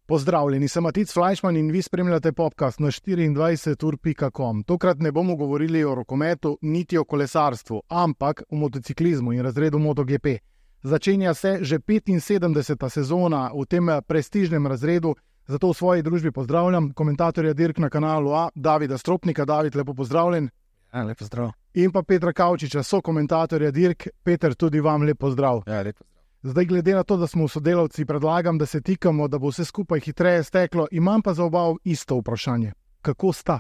Pozdravljeni, sem Matic Flajšman in vi spremljate podcast na 24ur.com. Tokrat ne bomo govorili o rokometu, niti o kolesarstvu, ampak o motociklizmu in razredu MotoGP. Začenja se že 75. sezona v tem prestižnem razredu, zato v svoji družbi pozdravljam komentatorja dirk na kanalu A, Davida Stropnika. David, lepo pozdravljen. Ja, lepo zdrav. In pa Petra Kavčiča, sokomentatorja dirk. Peter, tudi vam lep pozdrav. Ja, lepo zdrav. Zdaj, glede na to, da smo sodelavci, predlagam, da se tikamo, da bo vse skupaj hitreje steklo. Imam pa za oba isto vprašanje. Kako sta?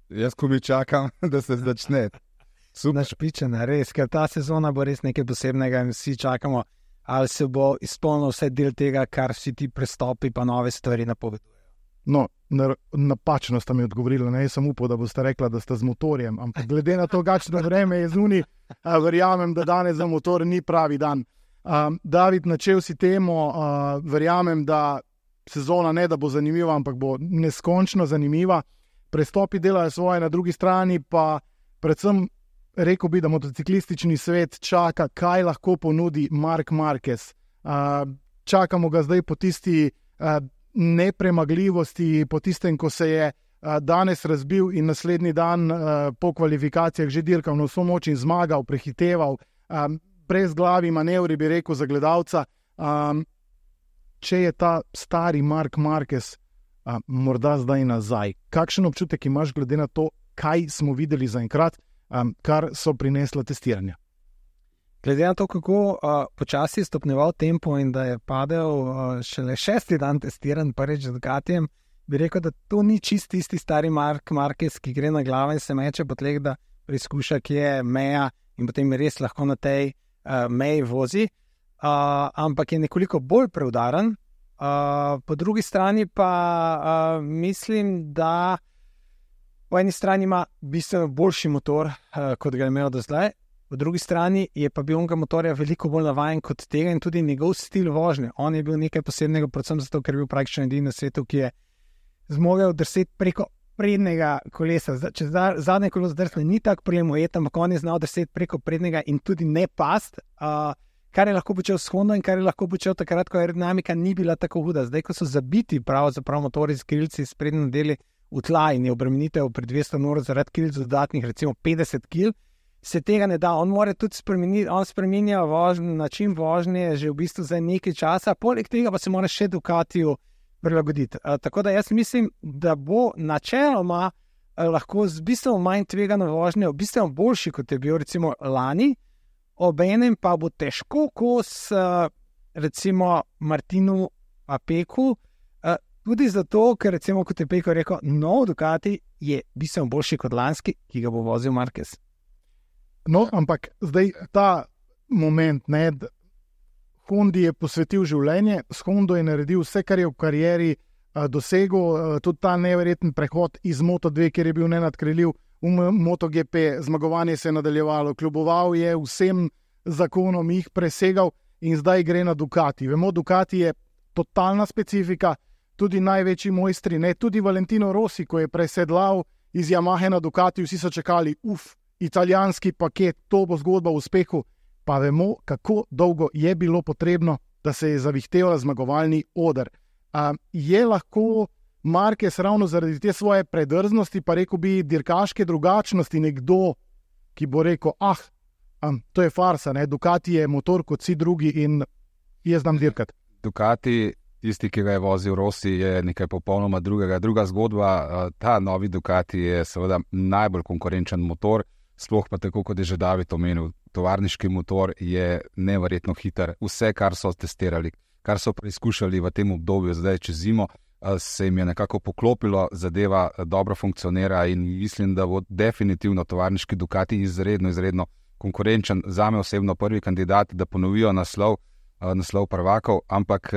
Jaz ko mi čakam, da se začne. Našpičena, res, ker ta sezona bo res nekaj posebnega in vsi čakamo, ali se bo izpolnil vse del tega, kar vsi ti prestopi pa nove stvari napovedujejo. No, napačno sta mi odgovorila, ne, jaz sem upal, da boste rekla, da sta z motorjem, ampak glede na to, kakšno vreme je zunaj, verjamem, da danes za motor ni pravi dan. David, načel si temo, verjamem, da sezona ne da bo zanimiva, ampak bo neskončno zanimiva. Prestopi delajo svoje, na drugi strani pa predvsem rekel bi, da motociklistični svet čaka, kaj lahko ponudi Marc Marquez. Čakamo ga zdaj po tisti nepremagljivosti, po tistem, ko se je danes razbil in naslednji dan po kvalifikacijah že dirkal na vso moč in zmagal, prehiteval, brezglavi manevri, bi rekel, za gledalca. Če je ta stari Marc Marquez morda zdaj nazaj, kakšen občutek imaš glede na to, kaj smo videli zaenkrat, kar so prinesla testiranja? Glede na to, kako počasi je stopnjeval tempo in da je padel šele 6. dan testiran prvič z Ducatijem, bi rekel, da to ni čist tisti stari Marc Marquez, ki gre na glavo in se meče po tleh, da preizkuša, kje je meja in potem res lahko na tej meji vozi, ampak je nekoliko bolj preudaren. Po drugi strani pa mislim, da po eni strani ima bistveno boljši motor, kot ga je imel do zdaj, po drugi strani je pa bil onega motorja veliko bolj navajen kot tega in tudi njegov stil vožnje. On je bil nekaj posebnega, predvsem zato, ker je bil praktično edini na svetu, ki je zmogel drseti preko prednjega kolesa. Če zadnje kolo zdrsne, ni tak prijem ujet, ampak on je znal drseti preko prednjega in tudi ne past, kar je lahko počel s Hondo in kar je lahko počel takrat, ko aerodinamika ni bila tako huda. Zdaj, ko so zabiti pravzaprav motori z krilci s prednjim deli v tla in je obremenitev pri 200 Nm zaradi krilc dodatnih recimo 50 kg, se tega ne da. On mora tudi spremeniti, on spreminja način vožnje že v bistvu za nekaj časa, poleg tega pa se mora še Ducatiju prilagoditi. Tako da jaz mislim, da bo načeloma lahko z bistveno manj tvegano vožnjo, bistveno boljši, kot je bil recimo lani, obenem pa bo težko kos recimo Martinu Apeku, tudi zato, ker recimo, kot je Peko rekel, nov Ducati je bistveno boljši kot lanski, ki ga bo vozil Marquez. No, ampak zdaj ta moment, ne, Hondi je posvetil življenje, s Hondo je naredil vse, kar je v karieri dosegel, tudi ta neverjeten prehod iz Moto2, kjer je bil nenadkreljiv, v MotoGP, zmagovanje se je nadaljevalo, kljuboval je vsem zakonom, jih presegal in zdaj gre na Ducati. Vemo, Ducati je totalna specifika, tudi največji mojstri, ne, tudi Valentino Rossi, ko je presedlal iz Yamahe na Ducati, vsi so čakali, italijanski paket, to bo zgodba o uspehu, pa vemo, kako dolgo je bilo potrebno, da se je zavihtel zmagovalni oder. Je lahko Marquez ravno zaradi te svoje predrznosti, pa rekel bi dirkaške drugačnosti, nekdo, ki bo rekel, to je farsa, ne? Ducati je motor kot vsi drugi in jaz znam dirkati. Ducati, tisti, ki ga je vozil Rossi, je nekaj popolnoma drugega. Druga zgodba, ta novi Ducati je seveda najbolj konkurenčen motor, sploh pa tako, kot je že David omenil, tovarniški motor je neverjetno hiter. Vse, kar so testirali, kar so preizkušali v tem obdobju, zdaj čez zimo, se jim je nekako poklopilo, zadeva dobro funkcionira in mislim, da bo definitivno tovarniški Ducati izredno konkurenčen. Zame osebno prvi kandidat, da ponovijo naslov prvakov, ampak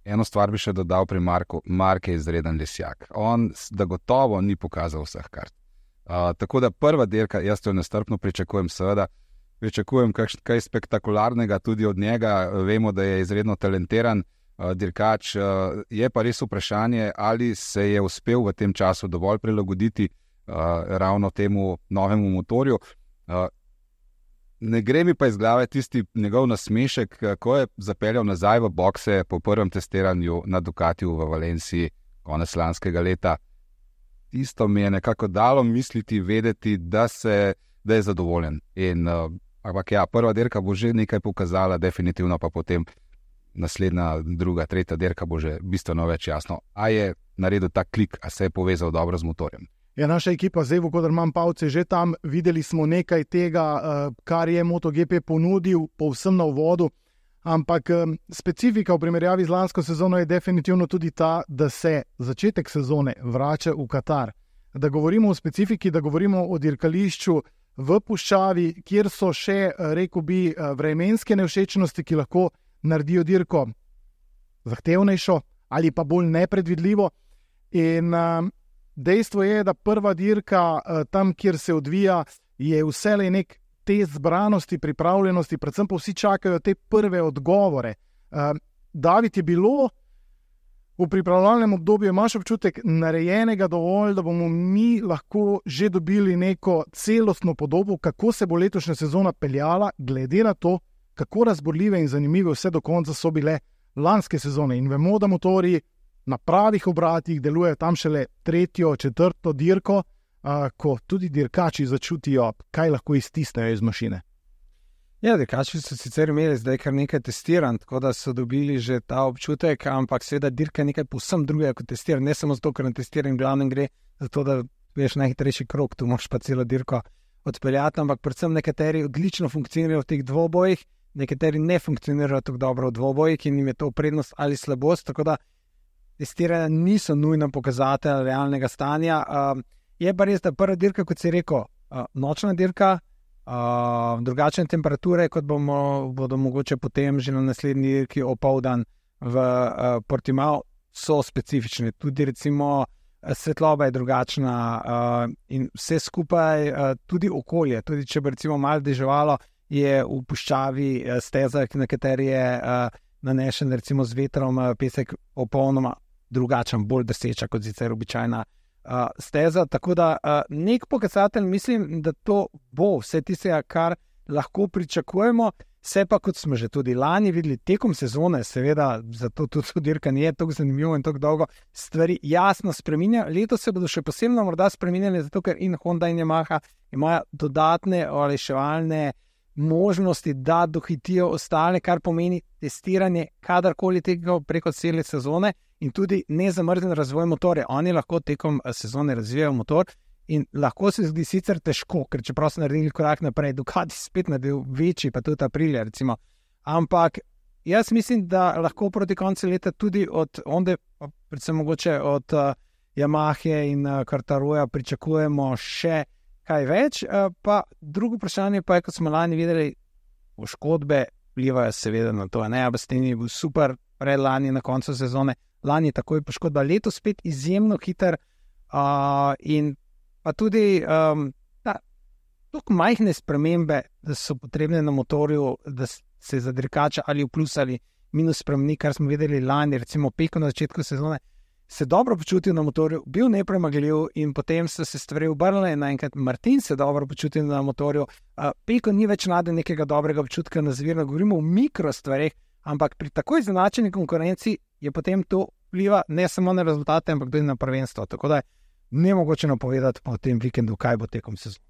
eno stvar bi še dodal pri Marku. Mark je izreden lesjak. On da gotovo ni pokazal vseh kart. Tako da prva dirka, jaz to nestrpno pričakujem, seveda. Pričakujem kaj spektakularnega tudi od njega. Vemo, da je izredno talentiran dirkač. Je pa res vprašanje, ali se je uspel v tem času dovolj prilagoditi ravno temu novemu motorju. Ne gre mi pa iz glave tisti njegov nasmešek, ko je zapeljal nazaj v bokse po prvem testiranju na Ducatiju v Valenciji konec lanskega leta. Tisto mi je nekako dalo misliti, vedeti, da je zadovoljen. Ampak ja, prva dirka bo že nekaj pokazala, definitivno pa potem naslednja, druga, tretja dirka bo že bistveno več jasno. A je naredil ta klik, a se je povezal dobro z motorjem. Ja, naša ekipa zdaj, kodar imam Pavce že tam, videli smo nekaj tega, kar je MotoGP ponudil povsem na uvodu, ampak specifika v primerjavi z lansko sezono je definitivno tudi ta, da se začetek sezone vrača v Katar. Da govorimo o specifiki, da govorimo o dirkališču v puščavi, kjer so še, rekel bi, vremenske nevšečnosti, ki lahko naredijo dirko zahtevnejšo ali pa bolj nepredvidljivo. In dejstvo je, da prva dirka tam, kjer se odvija, je vselej nek test zbranosti, pripravljenosti, predvsem pa vsi čakajo te prve odgovore. David, je bilo v pripravljalnem obdobju, imaš občutek narejenega dovolj, da bomo mi lahko že dobili neko celostno podobo, kako se bo letošnja sezona peljala, glede na to, kako razborljive in zanimive vse do konca so bile lanske sezone. In vemo, da motorji na pravih obratih delujejo tam šele tretjo, četrto dirko, ko tudi dirkači začutijo, kaj lahko iztisnejo iz mašine. Ja, dirkači so sicer imeli zdaj kar nekaj testiranj, tako da so dobili že ta občutek, ampak seveda dirka je nekaj povsem drugega kot testiranje. Ne samo zato, ker na testiranje glavnem gre za to, da veš najhitrejši krog, tu moraš pa celo dirko odpeljati, ampak predvsem nekateri odlično funkcionirajo v teh dvobojih, nekateri ne funkcionirajo tako dobro v dvobojih in jim je to prednost ali slabost, tako da testiranja niso nujno pokazatelj realnega stanja. Je pa res, da prva dirka, kot si rekel, nočna dirka, drugačne temperature, kot bodo mogoče potem že na naslednji dirki opoldan v Portimao, so specifične. Tudi recimo svetloba je drugačna in vse skupaj, tudi okolje, tudi če bi recimo malo deževalo, je v puščavi steza, na kateri je nanešen recimo z vetrom pesek popolnoma drugačen, bolj deseča kot sicer običajna steza, tako da nek pokazatelj mislim, da to bo vse tistega, kar lahko pričakujemo, se pa kot smo že tudi lani videli tekom sezone, seveda zato tudi dirka ni tako zanimivo in tako dolgo, stvari jasno spreminja. Letos se bodo še posebno morda spreminjali, zato ker in Honda in Yamaha imajo dodatne olajševalne možnosti, da dohitijo ostale, kar pomeni testiranje kadarkoli tega preko cele sezone in tudi nezamrznjen razvoj motorja. Oni lahko tekom sezone razvijajo motor in lahko se zdi sicer težko, ker čeprav so naredili korak naprej, Ducati spet naredil večji, pa tudi Aprilia recimo. Ampak jaz mislim, da lahko proti koncu leta tudi od Honde, predvsem mogoče od Yamahe in Quartaroja pričakujemo še kaj več, pa drugo vprašanje pa je, kot smo lani videli, poškodbe vplivajo seveda na to. Abastini je bil super predlani na koncu sezone, lani takoj poškodba, letos spet izjemno hiter in pa tudi tako majhne spremembe, da so potrebne na motorju, da se za dirkača ali v plus ali minus spremeni, kar smo videli lani, recimo Peko na začetku sezone, se dobro počutil na motorju, bil nepremagljiv in potem so se stvari obrnile in naenkrat Martin se dobro počutil na motorju. Peko ni več najdel nekega dobrega občutka na zvirno, govorimo o mikro stvarih, ampak pri takoj zanačeni konkurenci je potem to vpliva ne samo na rezultate, ampak tudi na prvenstvo. Tako da je nemogoče napovedati po tem vikendu, kaj bo tekom sezone.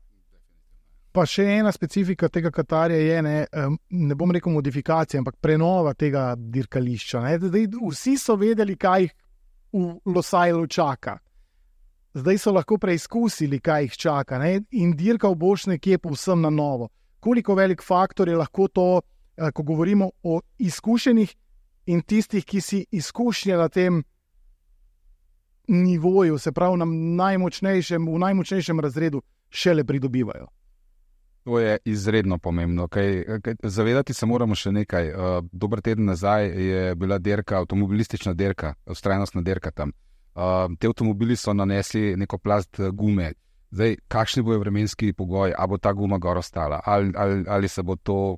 Pa še ena specifika tega Katarja je, ne bom rekel modifikacija, ampak prenova tega dirkališča. Vsi so vedeli, kaj jih v Losailu čaka. Zdaj so lahko preizkusili, kaj jih čaka, in dirka bo nekje povsem na novo. Koliko velik faktor je lahko to, ko govorimo o izkušenih in tistih, ki si izkušnje na tem nivoju, se pravi v najmočnejšem razredu, šele pridobivajo. To je izredno pomembno. Zavedati se moramo še nekaj. Dober teden nazaj je bila dirka, avtomobilistična dirka, vztrajnostna dirka tam. Te avtomobili so nanesli neko plast gume. Zdaj, kakšni bojo vremenski pogoji, a bo ta guma gor ostala, ali se bo to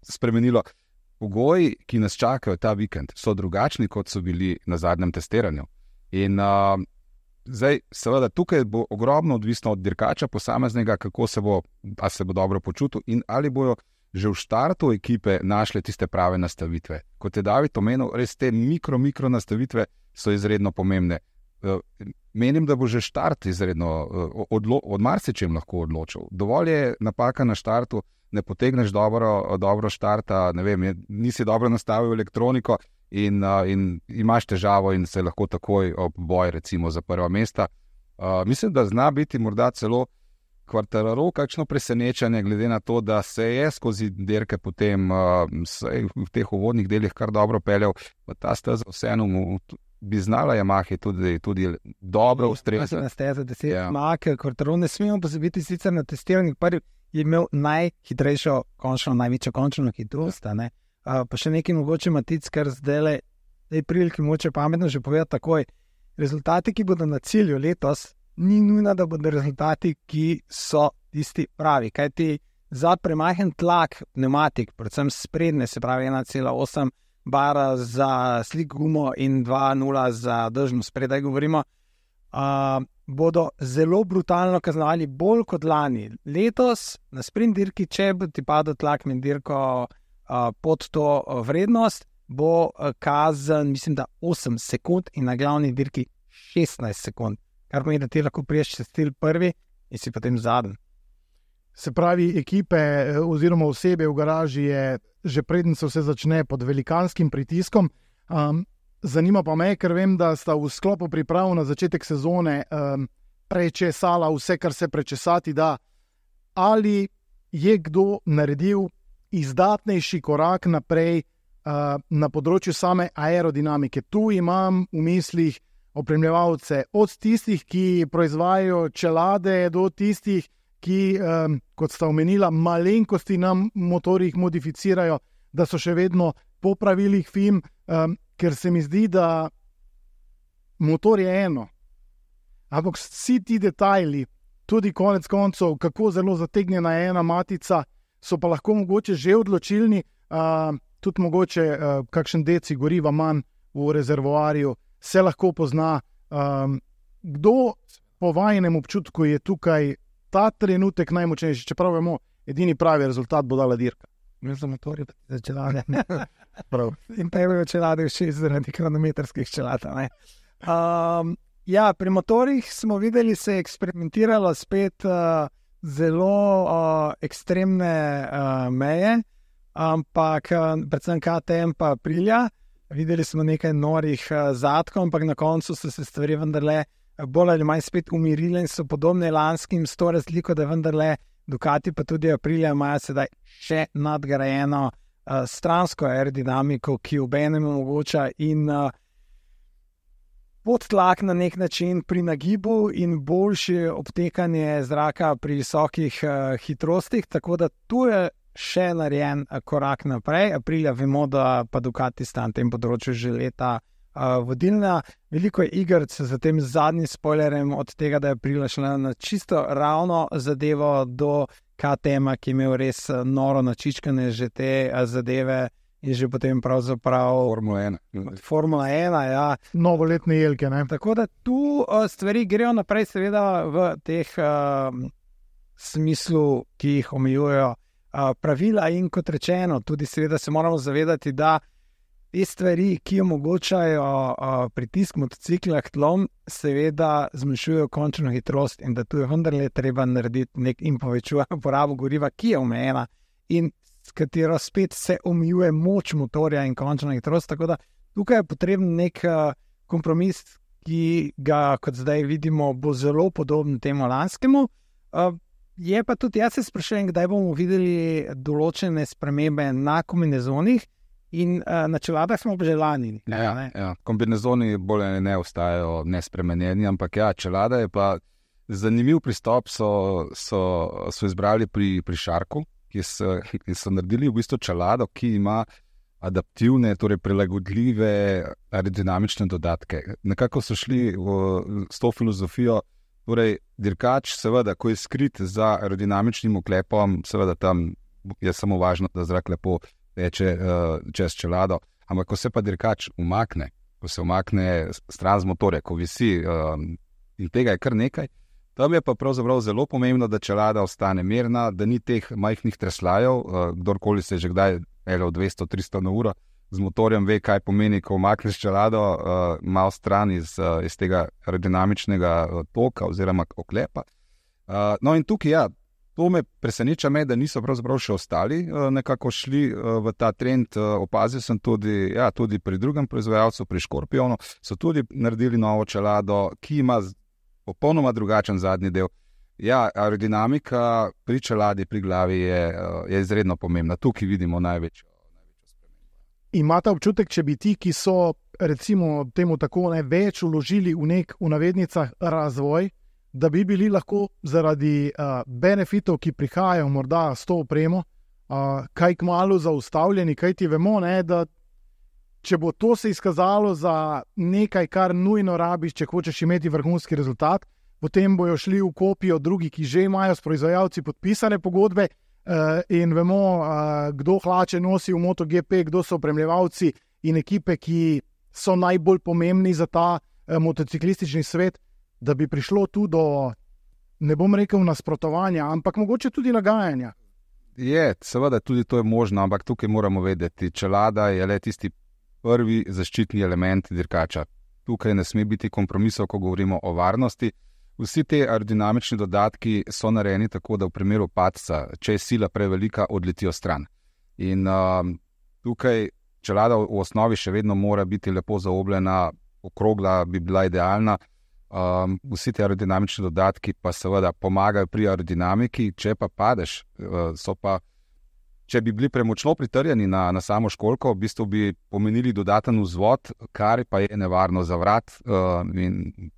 spremenilo. Pogoji, ki nas čakajo ta vikend, so drugačni, kot so bili na zadnjem testiranju. In Zdaj, seveda, tukaj bo ogromno odvisno od dirkača posameznega, kako se bo dobro počutil in ali bojo že v štartu ekipe našle tiste prave nastavitve. Kot je David omenil, res te mikro nastavitve so izredno pomembne. Menim, da bo že štart izredno od marsičem lahko odločil. Dovolj je napaka na štartu, ne potegneš dobro štarta, ne vem, nisi dobro nastavil elektroniko in imaš težavo in se lahko takoj ob boj recimo za prva mesta. Mislim, da zna biti morda celo Quartararo kakšno presenečenje, glede na to, da se je skozi dirke potem v teh uvodnih delih kar dobro peljal, pa ta steza vseeno bi znala Yamaha tudi dobro ustrezati. Na steza 10 Yamaha, Quartararo ne smemo pozabiti sicer na testiranju, prvi je imel najhitrejšo, največjo končno hitrost, pa še nekaj mogoče Matic, kar zdaj tej priliki moče pametno že povedati takoj. Rezultati, ki bodo na cilju letos, ni nujno, da bodo rezultati, ki so tisti pravi. Kajti za premahen tlak pneumatik, predvsem sprednje, se pravi 1,8 bara za slik gumo in 2,0 za držno spredaj govorimo, bodo zelo brutalno kaznovali bolj kot lani. Letos na sprint dirki, če bo ti padel tlak med dirko pod to vrednost, bo kazen, mislim, da 8 sekund in na glavni dirki 16 sekund. Kar pomeni, da ti lahko priješ čez cilj prvi in si potem zadnji. Se pravi, ekipe oziroma osebe v garaži je že preden se vse začne pod velikanskim pritiskom. Zanima pa me, ker vem, da sta v sklopu priprav na začetek sezone prečesala vse, kar se prečesati da. Ali je kdo naredil izdatnejši korak naprej na področju same aerodinamike? Tu imam v mislih opremljevalce, od tistih, ki proizvajajo čelade, do tistih, ki, kot sta omenila, malenkosti na motorjih modificirajo, da so še vedno po pravilih FIM, ker se mi zdi, da motor je eno. Ampak vsi ti detajli, tudi konec koncev, kako zelo zategnjena je ena matica, so pa lahko mogoče že odločilni, tudi mogoče kakšen deci goriva manj v rezervoarju, se lahko pozna. Kdo po vajinem občutku je tukaj ta trenutek najmočnejši, čeprav vemo, edini pravi rezultat bo dala dirka. Imel sem motorje za čelade. In pa je čelade še zaradi kronometrskih čelad. Ja, pri motorjih smo videli, se je eksperimentiralo spet zelo ekstremne meje, ampak predvsem KTM pa Aprilia. Videli smo nekaj norih zadkov, ampak na koncu so se stvari vendarle bolj ali manj spet umirile in so podobne lanskim, s to razliko, da vendarle Ducati pa tudi Aprilia imajo sedaj še nadgrajeno stransko aerodinamiko, ki obenem omogoča in podtlak na nek način pri nagibu in boljše obtekanje zraka pri visokih hitrostih, tako da tu je še narejen korak naprej. Aprilia vemo, da pa Ducati sta na tem področju že leta vodilna. Veliko je igric za tem zadnjim spoilerjem od tega, da je Aprilia šla na čisto ravno zadevo do KTM-a, ki je imel res noro načičkane že te zadeve in že potem pravzaprav Formula 1, ja. Novoletne jelke, ne? Tako da tu stvari grejo naprej, seveda v teh smislu, ki jih omejujejo pravila in kot rečeno, tudi seveda se moramo zavedati, da te stvari, ki omogočajo pritisk motocikla k tlom, seveda zmanjšujejo končno hitrost in da tu je vendarle treba narediti in povečuje porabo goriva, ki je omejena in s katero spet se omejuje moč motorja in končna hitrost, tako da tukaj je potreben nek kompromis, ki ga, kot zdaj vidimo, bo zelo podoben temu lanskemu. Je pa tudi, jaz se sprašujem, kdaj bomo videli določene spremembe na kombinezonih in na čeladah smo že lani. Ja, kombinezoni bolj ne ostajajo nespremenjeni, ampak ja, čelada je pa zanimiv pristop so izbrali pri Sharku, ki so naredili v bistvu čelado, ki ima adaptivne, torej prilagodljive aerodinamične dodatke. Nekako so šli s to filozofijo. Torej, dirkač, seveda, ko je skrit za aerodinamičnim oklepom, seveda tam je samo važno, da zrak lepo teče čez čelado, ampak ko se pa dirkač umakne, ko se umakne stran z motorja, ko visi in tega je kar nekaj. Tam je pa pravzaprav zelo pomembno, da čelada ostane mirna, da ni teh majhnih treslajev, kdorkoli se je že kdaj peljal 200-300 na uro z motorjem, ve, kaj pomeni, ko umakneš čelado malo stran iz tega aerodinamičnega toka oziroma oklepa. No in tukaj, ja, to me preseneča da niso pravzaprav še ostali nekako šli v ta trend. Opazil sem tudi pri drugem proizvajalcu, pri Škorpionu, so tudi naredili novo čelado, ki ima popolnoma drugačen zadnji del. Ja, aerodinamika pri čeladi, pri glavi je izredno pomembna. Tukaj vidimo največjo spremembo. Imate občutek, če bi ti, ki so recimo temu tako več vložili v nek, v navednicah, razvoj, da bi bili lahko zaradi benefitov, ki prihajajo morda s to opremo, kaj kmalu zaustavljeni, kaj ti vemo, da če bo to se izkazalo za nekaj, kar nujno rabiš, če hočeš imeti vrhunski rezultat, potem bojo šli v kopijo drugi, ki že imajo s proizvajalci podpisane pogodbe in vemo, kdo hlače nosi v MotoGP, kdo so opremljevalci in ekipe, ki so najbolj pomembni za ta motociklistični svet, da bi prišlo tu do, ne bom rekel nasprotovanja, ampak mogoče tudi nagajanja. Seveda tudi to je možno, ampak tukaj moramo vedeti, čelada je le tisti prvi zaščitni element dirkača. Tukaj ne sme biti kompromisov, ko govorimo o varnosti. Vsi te aerodinamični dodatki so narejeni tako, da v primeru padca, če je sila prevelika, odletijo stran. In tukaj čelada v osnovi še vedno mora biti lepo zaobljena, okrogla bi bila idealna. Vsi te aerodinamični dodatki pa seveda pomagajo pri aerodinamiki, če pa padeš, če bi bili premočno pritrjeni na samo školjko, v bistvu bi pomenili dodaten vzvod, kar pa je nevarno za vrat in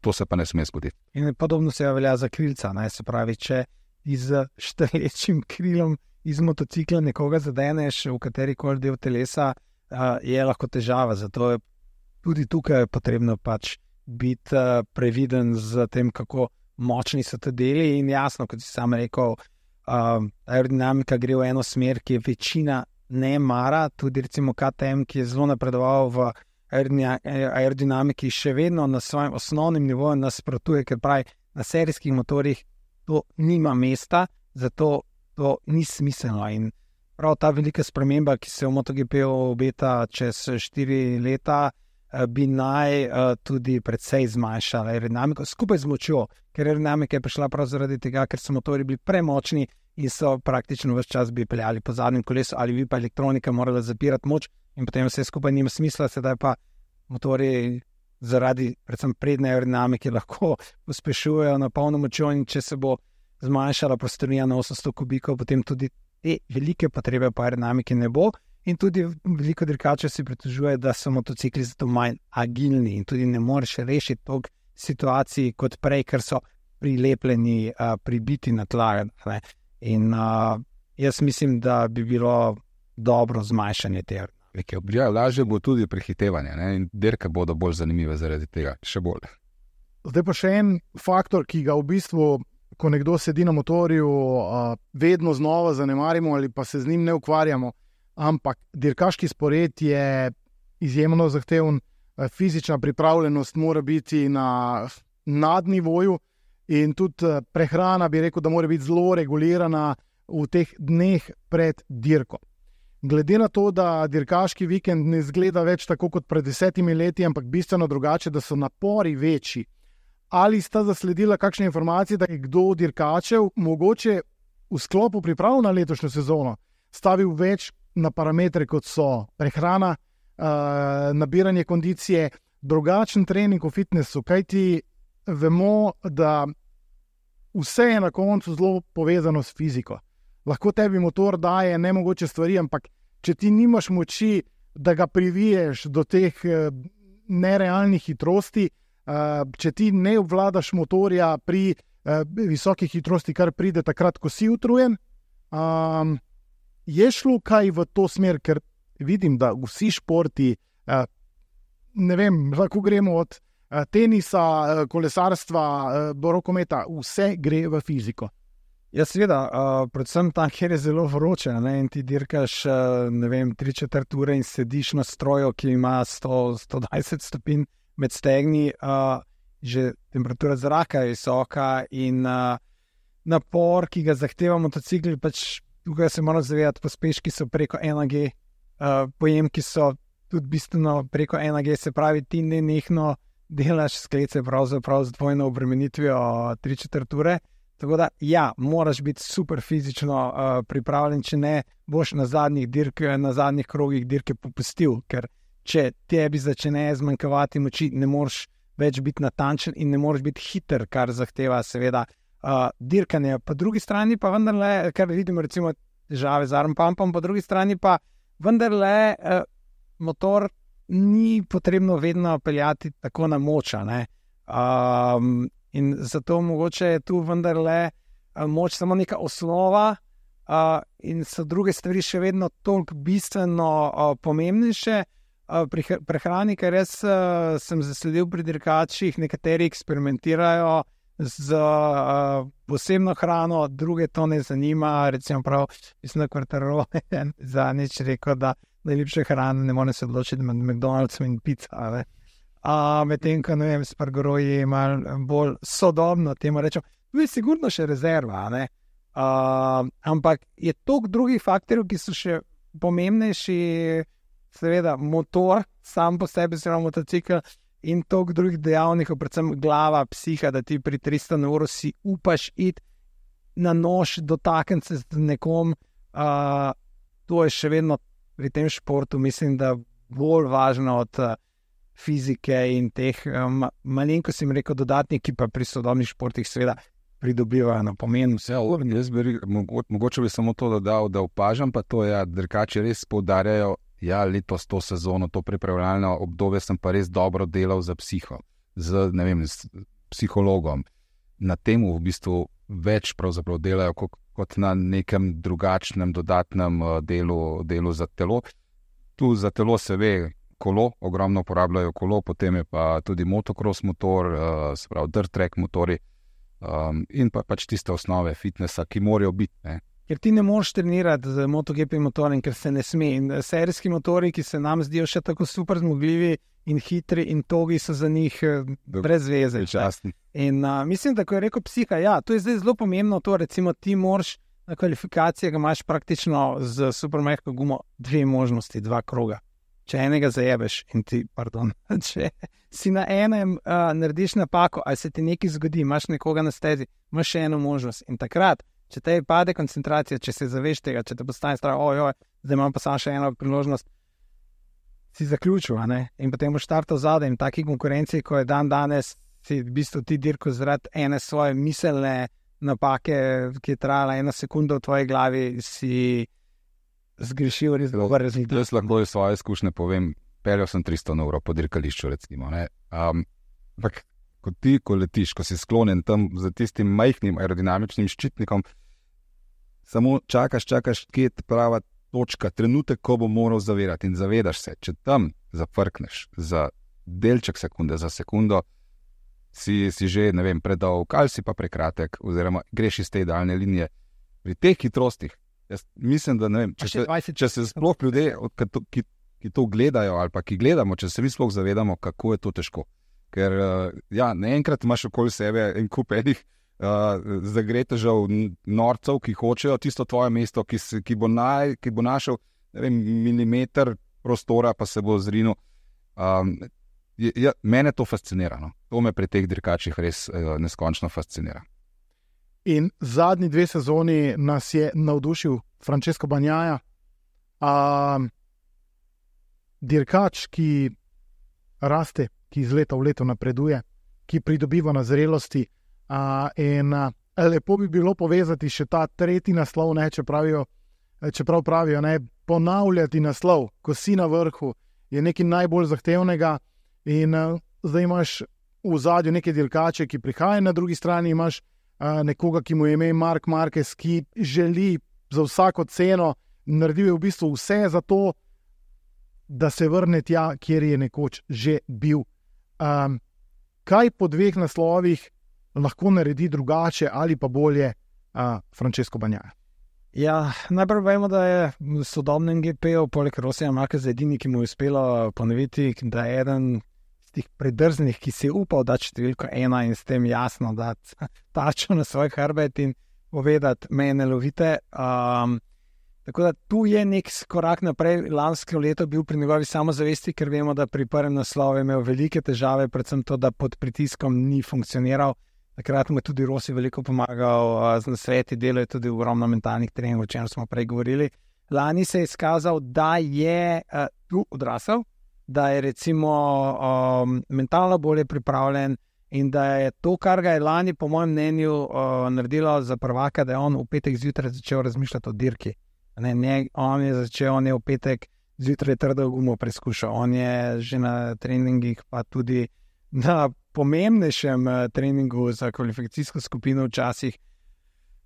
to se pa ne sme zgoditi. In podobno se velja za krilca, se pravi, če z štrlečim krilom iz motocikla nekoga zadeneš v katerikoli del telesa, je lahko težava, zato je tudi tukaj potrebno pač biti previden z tem, kako močni so te deli in jasno, kot si sam rekel, aerodinamika gre v eno smer, ki je večina ne mara, tudi recimo KTM, ki je zelo napredoval v aerodinamiki, še vedno na svojem osnovnem nivoju nasprotuje, ker pravi, na serijskih motorjih to nima mesta, zato to ni smiselno. In prav ta velika sprememba, ki se v MotoGP obeta čez 4 leta, bi naj tudi precej zmanjšala aerodinamiko skupaj z močjo, ker aerodinamika je prišla prav zaradi tega, ker so motori bili premočni in so praktično ves čas bi peljali po zadnjem kolesu ali bi pa elektronika morala zapirati moč in potem vse skupaj nima smisla, sedaj pa motori zaradi predvsem prednje aerodinamike lahko pospešujejo na polno močjo in če se bo zmanjšala prostorija na 800 kubikov, potem tudi te velike potrebe po aerodinamiki ne bo. In tudi veliko dirkačev si pritožuje, da so motocikli zato manj agilni in tudi ne moreš rešiti toliko situacij kot prej, ker so prilepljeni, pribiti na tla. In jaz mislim, da bi bilo dobro zmanjšanje te aerodinamike. Ja, lažje bo tudi prehitevanje, in dirke bodo bolj zanimive zaradi tega, še bolj. Zdaj pa še en faktor, ki ga v bistvu, ko nekdo sedi na motorju, vedno znova zanemarimo ali pa se z njim ne ukvarjamo. Ampak dirkaški spored je izjemno zahteven, fizična pripravljenost mora biti na nadnivoju in tudi prehrana bi rekel, da mora biti zelo regulirana v teh dneh pred dirko. Glede na to, da dirkaški vikend ne izgleda več tako kot pred 10 leti, ampak bistveno drugače, da so napori večji, ali sta zasledila kakšne informacije, da je kdo od dirkačev mogoče v sklopu priprav na letošnjo sezono stavil več na parametre, kot so prehrana, nabiranje kondicije, drugačen trening v fitnessu, kajti vemo, da vse je na koncu zelo povezano s fiziko. Lahko tebi motor daje nemogoče stvari, ampak če ti nimaš moči, da ga priviješ do teh nerealnih hitrosti, če ti ne obvladaš motorja pri visoki hitrosti, kar pride takrat, ko si utrujen, je šlo kaj v to smer, ker vidim, da vsi športi, ne vem, lahko gremo od tenisa, kolesarstva, rokometa, vse gre v fiziko. Ja, seveda, predvsem tam, kjer je zelo vroče, in ti dirkaš, 3/4 ure in sediš na stroju, ki ima 100-120 stopinj med stegni, že temperatura zraka je visoka in napor, ki ga zahteva motocikl, pač tukaj se moramo zavedati, pospeški so preko 1G, pojemki so tudi bistveno preko 1G, se pravi, ti nenehno delaš sklece pravzaprav z dvojno obremenitvijo 3/4 ure. Tako da, ja, moraš biti super fizično pripravljen, če ne boš na zadnjih krogih dirke popustil, ker če tebi začne zmanjkavati moči, ne moreš več biti natančen in ne moreš biti hiter, kar zahteva seveda dirkanje. Po drugi strani pa vendarle, kar vidimo recimo težave z arm pumpom, po drugi strani pa vendarle motor ni potrebno vedno peljati tako na moč, ne? In zato mogoče je tu vendarle moč samo neka osnova in so druge stvari še vedno toliko bistveno pomembnejše. Pri prehrani, ker jaz sem zasledil pri dirkačih, nekateri eksperimentirajo z posebno hrano, druge to ne zanima, recimo prav, mislim, da Quartararo je zadnjič rekel, da najljubše hrane ne more se odločiti med McDonald'som in pizza, medtem, ko, ne vem, Spargaro je malo bolj sodobno, temu rečem, tu je sigurno še rezerva, ne? Ampak je toliko drugih faktorjev, ki so še pomembnejši, seveda motor, sam po sebi, oziroma motocikl in toliko drugih dejavnikov, predvsem glava, psiha, da ti pri 300 na uro si upaš iti na nož, dotakniti se z nekom, to je še vedno pri tem športu, mislim, da bolj važno od fizike in teh malenkosti, jim rekel, dodatnih, ki pa pri sodobnih športih seveda pridobivajo na pomenu. Mogoče bi samo to dodal, da opažam pa to, ja, dirkači res poudarjajo, ja, letos to sezono, to pripravljalno obdobje sem pa res dobro delal za psiho, z psihologom. Na tem v bistvu več pravzaprav delajo kot na nekem drugačnem dodatnem delu za telo. Tu za telo se ve kolo, ogromno uporabljajo kolo, potem je pa tudi motocross motor, se pravi dirt track motori in pa pač tiste osnove fitnessa, ki morajo biti, ne. Ker ti ne moreš trenirati z MotoGP motorjem, ker se ne sme. In serijski motori, ki se nam zdijo še tako super zmogljivi in hitri in togi, so za njih brez veze. In mislim, da ko je rekel psiha, ja, to je zdaj zelo pomembno to, recimo ti moraš na kvalifikacijah, imaš praktično z supermehko gumo 2 možnosti, 2 kroga. Če enega zajebeš in ti, če si na enem narediš napako, ali se ti nekaj zgodi, imaš nekoga na stezi, imaš še eno možnost in takrat, če te pade koncentracija, če se zaveš tega, če te postane strah, zdaj imam pa samo še eno priložnost, si zaključil, ne? In potem boš štartal zadaj in taki konkurenci, ko je danes, si v bistvu ti dirko zaradi ene svoje miselne napake, ki je trajala 1 sekunda v tvoji glavi, si zgrešil res dober rezultat. Jaz lahko iz svoje izkušnje povem, peljal sem 300 na uro po dirkališču, recimo, ne. Ampak ko letiš, ko si sklonjen tam za tistim majhnim aerodinamičnim ščitnikom, samo čakaš, kje je prava točka, trenutek, ko bo moral zavirati in zavedaš se, če tam zafrkneš za delček sekunde, za sekundo, si že, ne vem, predolg ali si pa prekratek, oziroma greš iz te idealne linije. Pri teh hitrostih, jaz mislim, da ne vem, če se sploh ljudje, ki to gledajo ali pa ki gledamo, če se mi sploh zavedamo, kako je to težko. Ker ja, naenkrat imaš okoli sebe en kup enih zagretežev, norcev, ki hočejo tisto tvoje mesto, ki bo našel, ne vem, milimeter prostora, pa se bo zrinil. Mene to fascinira, no. To me pri teh dirkačih res neskončno fascinira. In zadnji 2 sezoni nas je navdušil Francesco Bagnaia, dirkač, ki raste, ki iz leta v leto napreduje, ki pridobiva na zrelosti, in lepo bi bilo povezati še ta 3. naslov, ne, čeprav pravijo, ne, ponavljati naslov, ko si na vrhu, je nekaj najbolj zahtevnega in zdaj imaš v zadju neke dirkače, ki prihajajo, na drugi strani imaš nekoga, ki mu je ime Marc Marquez, ki želi za vsako ceno, naredil je v bistvu vse za to, da se vrne tja, kjer je nekoč že bil. Kaj po 2 naslovih lahko naredi drugače ali pa bolje Francesco Bagnaia? Ja, najprej vemo, da je v sodobnem GP-u poleg Rosija Marqueza edini, ki mu je uspelo ponoviti, da je eden tistih predrznih, ki si upal dati številko 1 in s tem jasno dati tačo na svoj hrbet in povedati, mene lovite. Tako da tu je nek korak naprej. Lansko leto bil pri njegovi samozavesti, ker vemo, da pri prvem naslovu je imel velike težave, predvsem to, da pod pritiskom ni funkcioniral. Takrat mu je tudi Rossi veliko pomagal z nasveti, delo je tudi ogromno mentalnih treningov, o čem smo prej govorili. Lani se je izkazal, da je tu odrasel, da je recimo mentalno bolje pripravljen in da je to, kar ga je lani, po mojem mnenju, naredilo za prvaka, da je on v petek zjutraj začel razmišljati o dirki. On je v petek zjutraj trdo gumo preizkušal. On je že na treningih, pa tudi na pomembnejšem treningu za kvalifikacijsko skupino včasih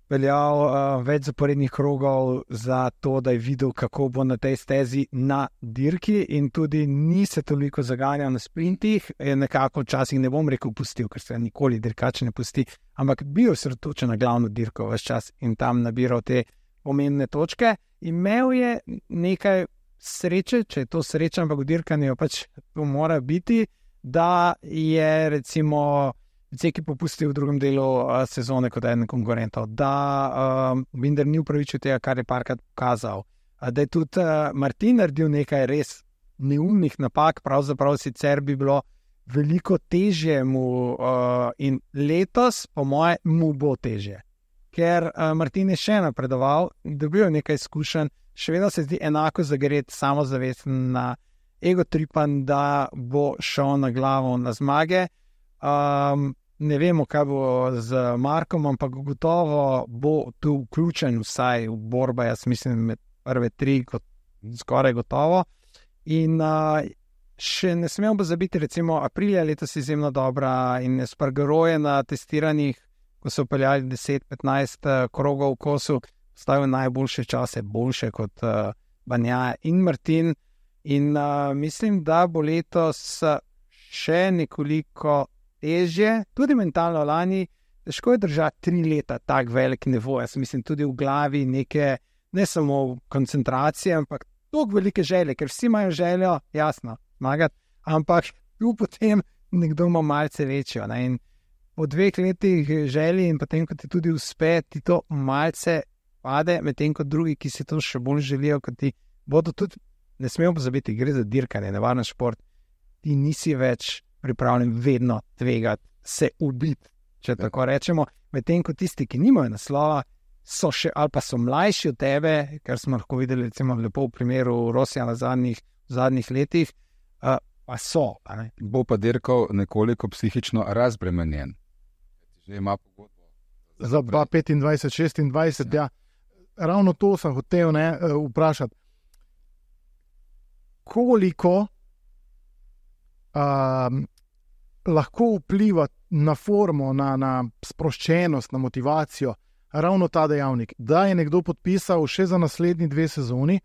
veljal več zaporednih krogov za to, da je videl, kako bo na tej stezi na dirki, in tudi ni se toliko zaganjal na sprintih, nekako včasih ne bom rekel pustil, ker se nikoli dirkač ne pusti, ampak bil osredotočen na glavno dirko ves čas in tam nabiral te pomembne točke. Imel je nekaj sreče, če je to sreča, ampak v dirkanju pač to mora biti, da je recimo Ceki popustil v drugem delu sezone kot eden konkurentov, da Binder ni upravičil tega, kar je parkrat pokazal, da je tudi Martin naredil nekaj res neumnih napak, pravzaprav sicer bi bilo veliko težje mu in letos, po moje, mu bo težje. Ker Martin je še napredoval, dobil nekaj izkušenj, še vedno se zdi enako zagret, samozavesten, na egotripan, da bo šel na glavo na zmage. Ne vemo, kaj bo z Markom, ampak gotovo bo tu vključen vsaj v borbo, jaz mislim, med prve 3, skoraj gotovo. In še ne smemo pozabiti, recimo Aprilia letos izjemno dobra in Espargaro je na testiranjih, ko so upeljali 10-15 krogov v kosu, stavil najboljše čase, boljše kot Bagnaia in Martin. In mislim, da bo letos še nekoliko težje, tudi mentalno. Lani težko je držati 3 leta tak velik nivo. Jaz mislim tudi v glavi neke, ne samo koncentracije, ampak toliko velike želje, ker vsi imajo željo, jasno, zmagati, ampak tu potem nekdo ima malce večjo. Ne? In po 2 letih želji in potem, ko ti tudi uspe, ti to malce pade, medtem kot drugi, ki si to še bolj želijo, kot ti bodo tudi. Ne smemo pozabiti, gre za dirkanje, nevaren šport. Ti nisi več pripravljen vedno tvegati, se ubiti, če tako rečemo. Medtem ko tisti, ki nimajo naslova, so še ali pa so mlajši od tebe, kar smo lahko videli recimo lepo v primeru Rossija v zadnjih letih, pa so. Bo pa dirkal nekoliko psihično razbremenjen. Že ima pogodbo. Za 2025-2026, ja. Ravno to sem hotel vprašati. Koliko lahko vpliva na formo, na sproščenost, na motivacijo ravno ta dejavnik, da je nekdo podpisal še za naslednji 2 sezoni,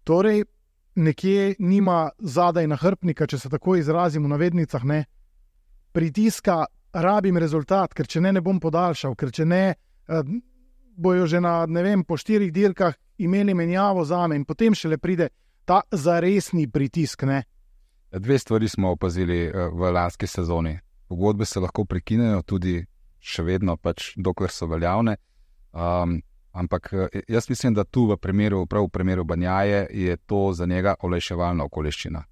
torej nekje nima zadaj nahrbtnika, če se tako izrazim v navednicah, ne, pritiska, rabim rezultat, ker če ne bom podaljšal, ker če ne, bojo že po 4 dirkah imeli menjavo zame in potem šele pride ta zaresni pritisk, ne? 2 stvari smo opazili v lanski sezoni. Pogodbe se lahko prekinejo tudi še vedno, pač dokler so veljavne. Ampak jaz mislim, da tu prav v primeru Bagnaie je to za njega olajševalna okoliščina.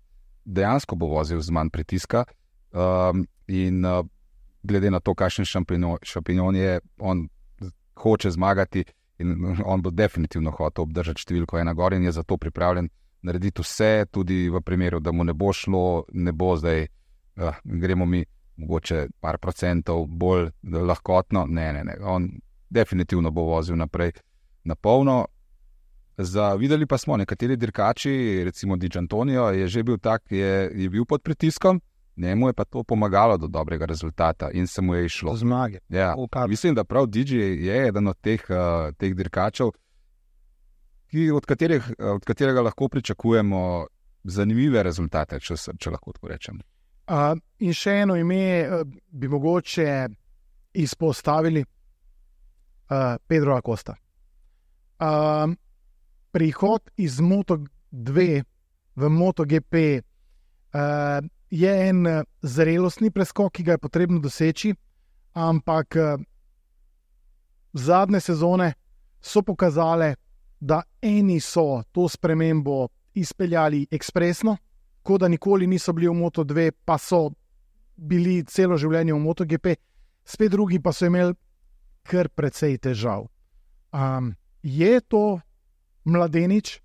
Dejansko bo vozil z manj pritiska in glede na to, kakšen šampion je, on hoče zmagati in on bo definitivno hotel obdržati številko 1 gor in je zato pripravljen narediti vse, tudi v primeru, da mu ne bo šlo, ne bo zdaj, gremo mi mogoče par procentov bolj lahkotno, ne, on definitivno bo vozil naprej na polno. Videli pa smo, nekateri dirkači, recimo Di Giannantonio, je že bil tak, je bil pod pritiskom, njemu je pa to pomagalo do dobrega rezultata in se mu je išlo. Zmage. Ja, mislim, da prav Digi je eden od teh dirkačev, od katerega lahko pričakujemo zanimive rezultate, če lahko tako rečem. In še eno ime bi mogoče izpostavili, Pedro Acosta. Prihod iz Moto2 v MotoGP je en zrelostni preskok, ki ga je potrebno doseči, ampak zadnje sezone so pokazale, da eni so to spremembo izpeljali ekspresno, kot da nikoli niso bili v Moto2, pa so bili celo življenje v MotoGP, spet drugi pa so imeli kar precej težav. Je to mladenič,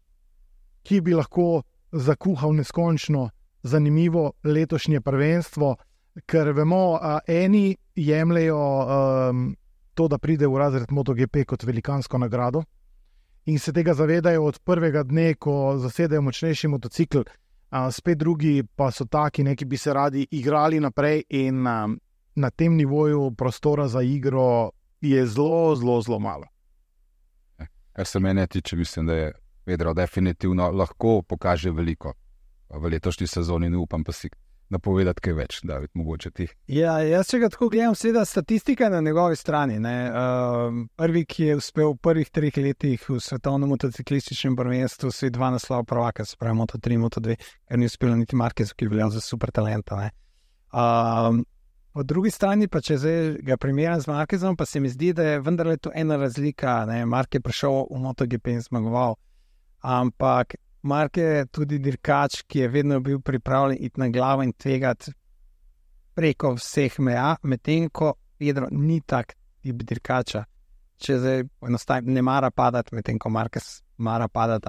ki bi lahko zakuhal neskončno zanimivo letošnje prvenstvo, ker vemo, eni jemljejo to, da pride v razred MotoGP kot velikansko nagrado in se tega zavedajo od prvega dne, ko zasedajo močnejši motocikl, spet drugi pa so taki, ki bi se radi igrali naprej in na tem nivoju prostora za igro je zelo, zelo, zelo malo. Kar se mene tiče, mislim, da je Pedro definitivno lahko pokaže veliko v letošnji sezoni, ne upam pa si napovedati kaj več, David, mogoče ti. Ja, jaz če ga tako gledam, seveda statistika na njegovi strani. Prvi, ki je uspel v prvih 3 letih v svetovnem motociklističnem prvenstvu, so 2 naslova prvaka, se pravi Moto3, Moto2, ker ni uspelo niti Marquez, ki je veljal za super talenta. Po drugi strani pa, če zdaj ga primerjam z Marquezom, pa se mi zdi, da je vendarle to ena razlika. Marquez je prišel v MotoGP in zmagoval, ampak Marquez je tudi dirkač, ki je vedno bil pripravljen iti na glavo in tvegati preko vseh meja, medtem ko Pedro ni tak tip dirkača. Če zdaj enostavno ne mara padati, medtem ko Marquez mara padati.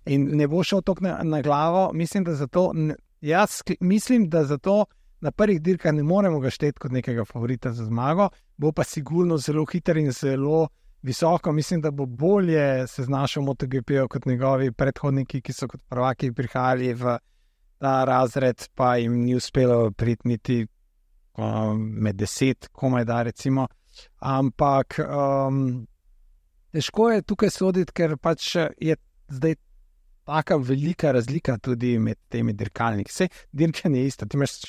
In ne bo šel toliko na glavo. Mislim, da zato na prvih dirkah ne moremo ga šteti kot nekega favorita za zmago, bo pa sigurno zelo hiter in zelo visoko. Mislim, da bo bolje se znašel v MotoGP kot njegovi predhodniki, ki so kot prvaki prihajali v ta razred, pa jim ni uspelo priti niti med 10, komaj da recimo. Ampak težko je tukaj soditi, ker pač je zdaj taka velika razlika tudi med temi dirkalniki. Vse dirkanje je isto, ti imaš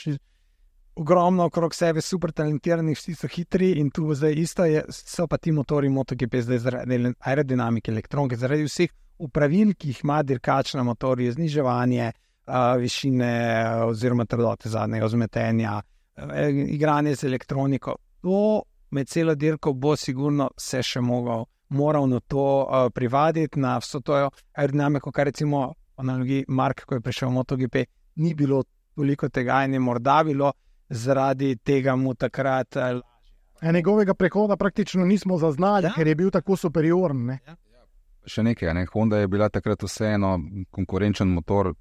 ogromno okrog sebe super talentiranih, vsi so hitri in tu zdaj isto so pa ti motori MotoGP zdaj zaradi aerodinamike, elektronike, zaradi vseh upravil, ki jih ima dirkač na motorju, zniževanje višine oziroma trdote zadnjega vzmetenja, igranje z elektroniko. To med celo dirko bo sigurno se še moral na to privaditi, na vso to aerodinamiko, kar recimo v analogiji Mark, ko je prišel v MotoGP, ni bilo toliko tega in je morda bilo zaradi tega mu takrat njegovega prehoda praktično nismo zaznali, ker je bil tako superioren. Še nekaj, Honda je bila takrat vseeno konkurenčen motor,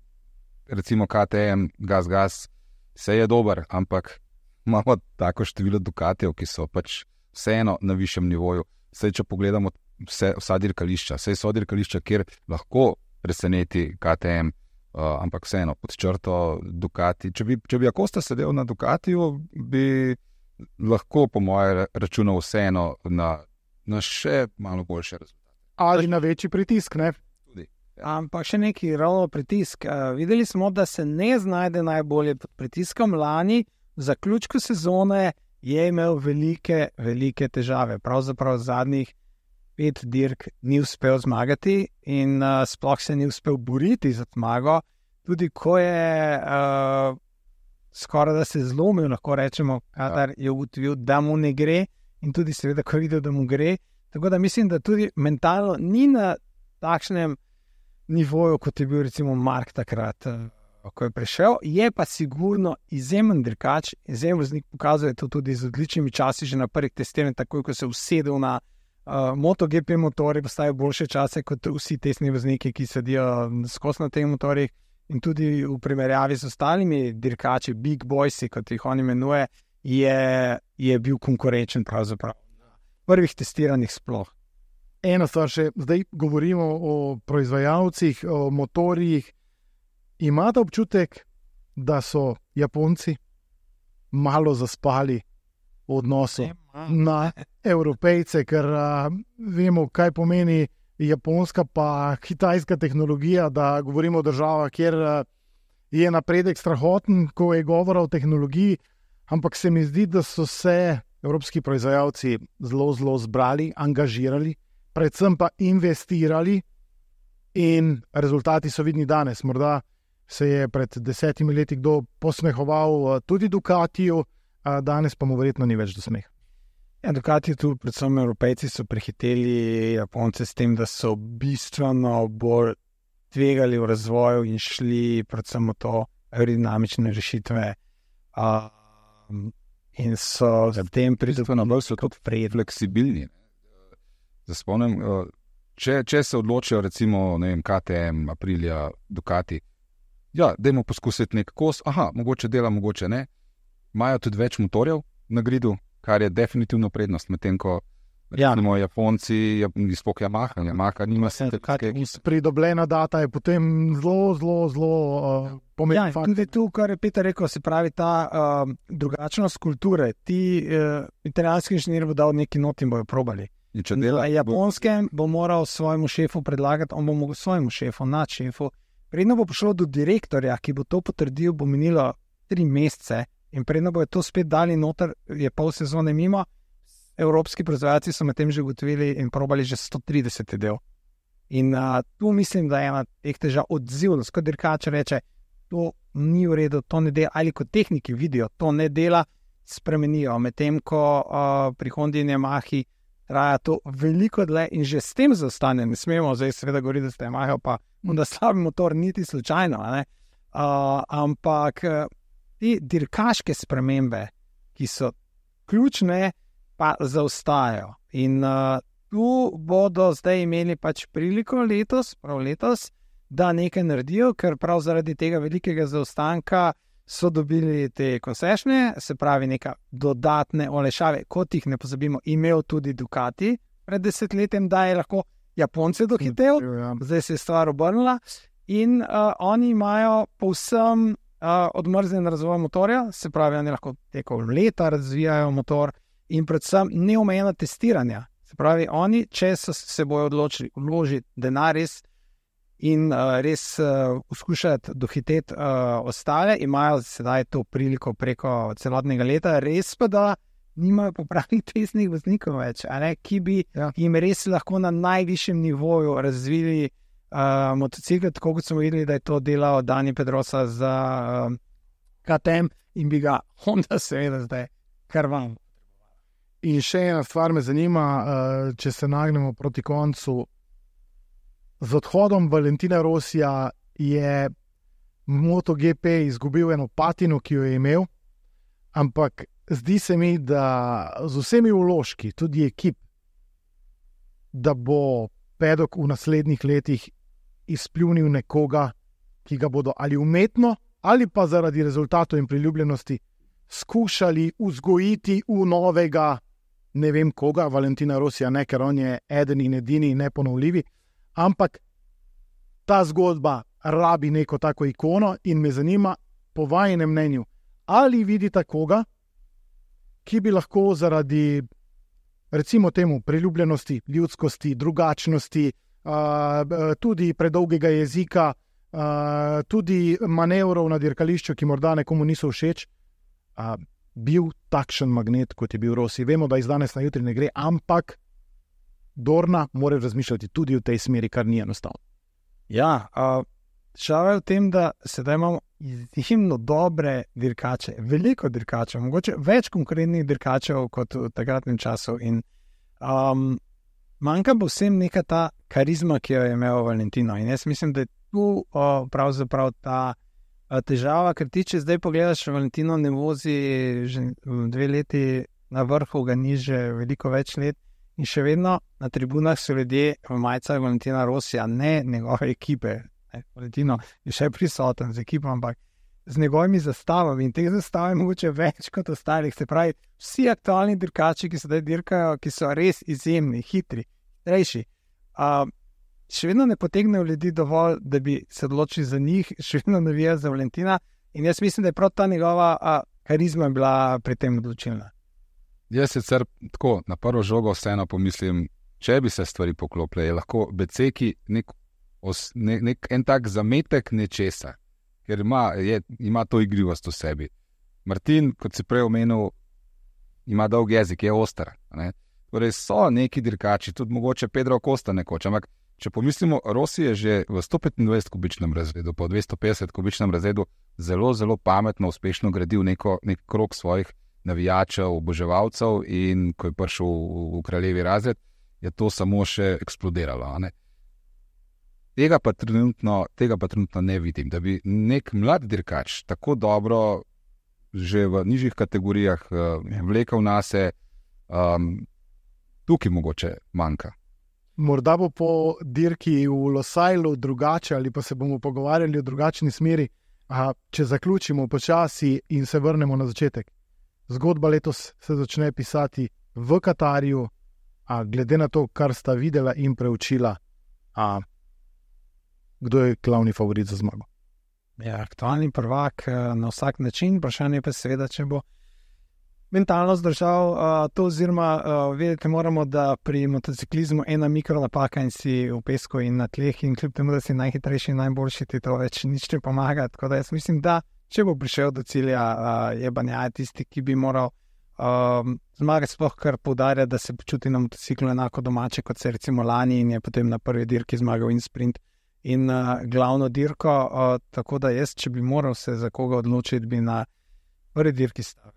recimo KTM, gas, vse je dober, ampak imamo tako število Ducatijev, ki so pač vseeno na višjem nivoju. Saj, če pogledamo vsa dirkališča, so dirkališča, kjer lahko preseneti KTM, ampak vseeno, pod črto Ducati. Če bi Acosta sedel na Ducatiju, bi lahko, po moje, računal vseeno na še malo boljše rezultate. Ali na večji pritisk, ne? Tudi. Ampak še neki ravno pritisk. Videli smo, da se ne znajde najbolje pod pritiskom. Lani, v zaključku sezone, je imel velike, velike težave. Pravzaprav zadnjih 5 dirk ni uspel zmagati in sploh se ni uspel boriti za zmago. Tudi ko je skoraj da se zlomil, lahko rečemo, kadar je ugotovil, da mu ne gre in tudi seveda, ko je videl, da mu gre. Tako da mislim, da tudi mentalno ni na takšnem nivoju, kot je bil recimo Mark takrat, ko je prišel. Je pa sigurno izjemen dirkač, izjemen voznik, pokazuje to tudi z odličnimi časi, že na prvih testiranjih, takoj ko se usedel na MotoGP motorji, postajajo boljše čase kot vsi testni vozniki, ki sedijo skozi na teh motorjih, in tudi v primerjavi z ostalimi dirkači, big boysi, kot jih on imenuje, je bil konkurenčen pravzaprav na prvih testiranjih sploh. Ena stvar še, zdaj govorimo o proizvajalcih, o motorjih. Imate občutek, da so Japonci malo zaspali v odnosu na Evropejce, ker vemo, kaj pomeni japonska pa kitajska tehnologija, da govorimo o državah, kjer je napredek strahoten, ko je govora o tehnologiji, ampak se mi zdi, da so se evropski proizvajalci zelo, zelo zbrali, angažirali, predvsem pa investirali in rezultati so vidni danes. Morda se je pred 10 leti kdo posmehoval tudi Ducatiju, danes pa mu verjetno ni več do smeha. Ja, Ducati tu, predvsem Evropejci, so prehiteli Japonce s tem, da so bistveno bolj tvegali v razvoju in šli predvsem v to aerodinamične rešitve. In so z tem pridobili so tudi fleksibilni. Spomnim, če se odločijo recimo, ne vem, KTM, Aprilia, Ducati, ja, dajmo poskusiti nek kos, mogoče dela, mogoče ne. Imajo tudi več motorjev na gridu, kar je definitivno prednost, medtem ko recimo Japonci, sploh Yamaha nima se tako. Pridobljena data je potem zelo pomemben fakt. Tudi tu, kar je Peter rekel, se pravi ta drugačnost kulture. Ti italijanski inženir bo dal neki not in bojo probali. Na Japonskem bo moral svojemu šefu predlagati, on bo mogel svojemu šefu, nadšefu. Predno bo prišlo do direktorja, ki bo to potrdil, bo minilo 3 mesece in predno bo je to spet dali noter, je pol sezone mimo. Evropski proizvajalci so med tem že ugotovili in probali že 130 del. In tu mislim, da je ena teh težav odzivnost, kot dirkač reče, to ni v redu, to ne dela, ali kot tehniki vidijo, to ne dela, spremenijo. Medtem ko pri Hondi in Yamahi traja to veliko dlje in že s tem zaostane, ne smemo zdaj seveda govoriti, da ste Yamaha pa da slabi motor niti slučajno, ampak te dirkaške spremembe, ki so ključne, pa zaostajajo. In tu bodo zdaj imeli pač priliko letos, da nekaj naredijo, ker prav zaradi tega velikega zaostanka so dobili te koncesije, se pravi neka dodatne olajšave, kot jih ne pozabimo, imel tudi Ducati pred 10 letjem, da je lahko Japonce dohitel, zdaj se je stvar obrnila in oni imajo povsem odmrznjen razvoj motorja, se pravi, oni lahko tekom leta razvijajo motor in predvsem neomejena testiranja. Se pravi, oni, če se bojo odločili vložiti denar res in res poskušati dohiteti ostale, imajo sedaj to priliko preko celotnega leta, res pa da nimajo popravnih testnih voznikov več, ki bi jim res lahko na najvišjem nivoju razvili motocikl, tako kot smo videli, da je to delal Dani Pedrosa za KTM in bi ga Honda seveda zdaj krval. In še ena stvar me zanima, če se nagnemo proti koncu. Z odhodom Valentina Rossija je MotoGP izgubil eno patino, ki jo je imel, ampak zdi se mi, da z vsemi vložki, tudi ekip, da bo Paddock v naslednjih letih izpljunil nekoga, ki ga bodo ali umetno, ali pa zaradi rezultatov in priljubljenosti skušali vzgojiti v novega, ne vem koga, Valentina Rossija ne, ker on je eden in edini neponovljivi, ampak ta zgodba rabi neko tako ikono in me zanima, po vajinem mnenju, ali vidite koga, ki bi lahko zaradi, recimo temu, priljubljenosti, ljudskosti, drugačnosti, tudi predolgega jezika, tudi manevrov na dirkališču, ki morda nekomu niso všeč, bil takšen magnet, kot je bil Rossi. Vemo, da iz danes na jutri ne gre, ampak Dorna mora razmišljati tudi v tej smeri, kar ni enostavno. Ja, šala je v tem, da sedaj imamo izjemno dobre dirkače, veliko dirkačev, mogoče več konkurentnih dirkačev kot v takratnem času in manjka bo vsem neka ta karizma, ki jo je imel Valentino in jaz mislim, da je tu pravzaprav ta težava, ker ti, če zdaj pogledaš, Valentino ne vozi že 2 leti na vrhu, ga ni že veliko več let in še vedno na tribunah so ljudje v majicah Valentina Rossija, ne njegove ekipe. Valentino je še prisoten z ekipo, ampak z njegovimi zastavami in teh zastav je mogoče več kot ostalih. Se pravi, vsi aktualni dirkači, ki sedaj dirkajo, ki so res izjemni, hitri, hitrejši, še vedno ne potegnejo ljudi dovolj, da bi se odločili za njih, še vedno navijajo za Valentina in jaz mislim, da je prav ta njegova karizma bila pri tem odločilna. Jaz sicer tako na prvo žogo vseeno pomislim, če bi se stvari poklopile, je lahko Beceki en tak zametek nečesa, ker ima to igrivost v sebi. Martin, kot si prej omenil, ima dolg jezik, je oster. Torej so neki dirkači, tudi mogoče Pedro Costa nekoč, ampak če pomislimo, Rossi je že v 125 kubičnem razredu, pa v 250 kubičnem razredu zelo, zelo pametno, uspešno gradil nek krog svojih navijačev, oboževalcev in ko je prišel v kraljevi razred, je to samo še eksplodiralo. Ne? Tega pa trenutno ne vidim, da bi nek mlad dirkač tako dobro že v nižjih kategorijah vlekel nase, tukaj mogoče manjka. Morda bo po dirki v Losailu drugače ali pa se bomo pogovarjali o drugačni smeri. Če zaključimo počasi in se vrnemo na začetek. Zgodba letos se začne pisati v Katarju, glede na to, kar sta videla in preučila, kdo je glavni favorit za zmago? Ja, aktualni prvak na vsak način, vprašanje pa seveda, če bo mentalno zdržal to, oziroma vedeti moramo, da pri motociklizmu ena mikronapaka in si v pesku in na tleh in kljub temu, da si najhitrejši in najboljši, ti to več nič ne pomaga. Tako da jaz mislim, da če bo prišel do cilja, je Bagnaia tisti, ki bi moral zmagati, sploh kar poudarja, da se počuti na motociklu enako domače, kot se recimo lani in je potem na prvi dirki zmagal in sprint in glavno dirko, tako da jaz, če bi moral se za koga odločiti, bi na prvi dirki stavil.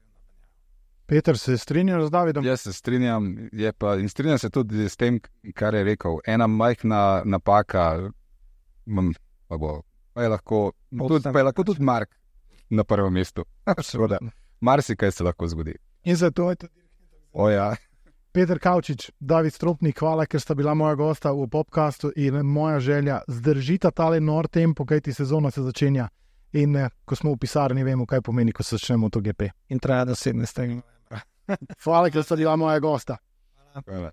Peter, se strinjaš z Davidom? Jaz se strinjam, in strinjam se tudi s tem, kar je rekel. Ena majhna napaka, pa je lahko tudi Mark na prvem mestu. Marsikaj se lahko zgodi. In zato je tudi ja. Peter Kavčič, David Stropnik, hvala, ker sta bila moja gosta v podcastu in moja želja, zdržita tale nor tempo, kajti sezona se začenja in ko smo v pisarni, vemo, kaj pomeni, ko se začne MotoGP. In traja do 17. novembra. Hvala, ker sta bila moja gosta. Hvala.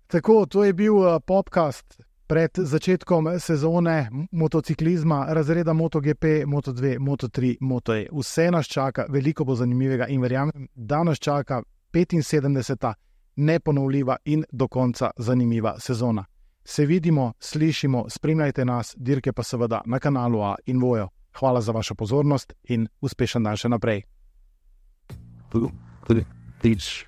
Tako, to je bil podcast pred začetkom sezone motociklizma, razreda MotoGP, Moto2, Moto3, Moto E. Vse nas čaka, veliko bo zanimivega in verjamem, da nas čaka 75. neponovljiva in do konca zanimiva sezona. Se vidimo, slišimo, spremljajte nas, dirke pa seveda na kanalu A in Vojo. Hvala za vašo pozornost in uspešen dan še naprej. Please,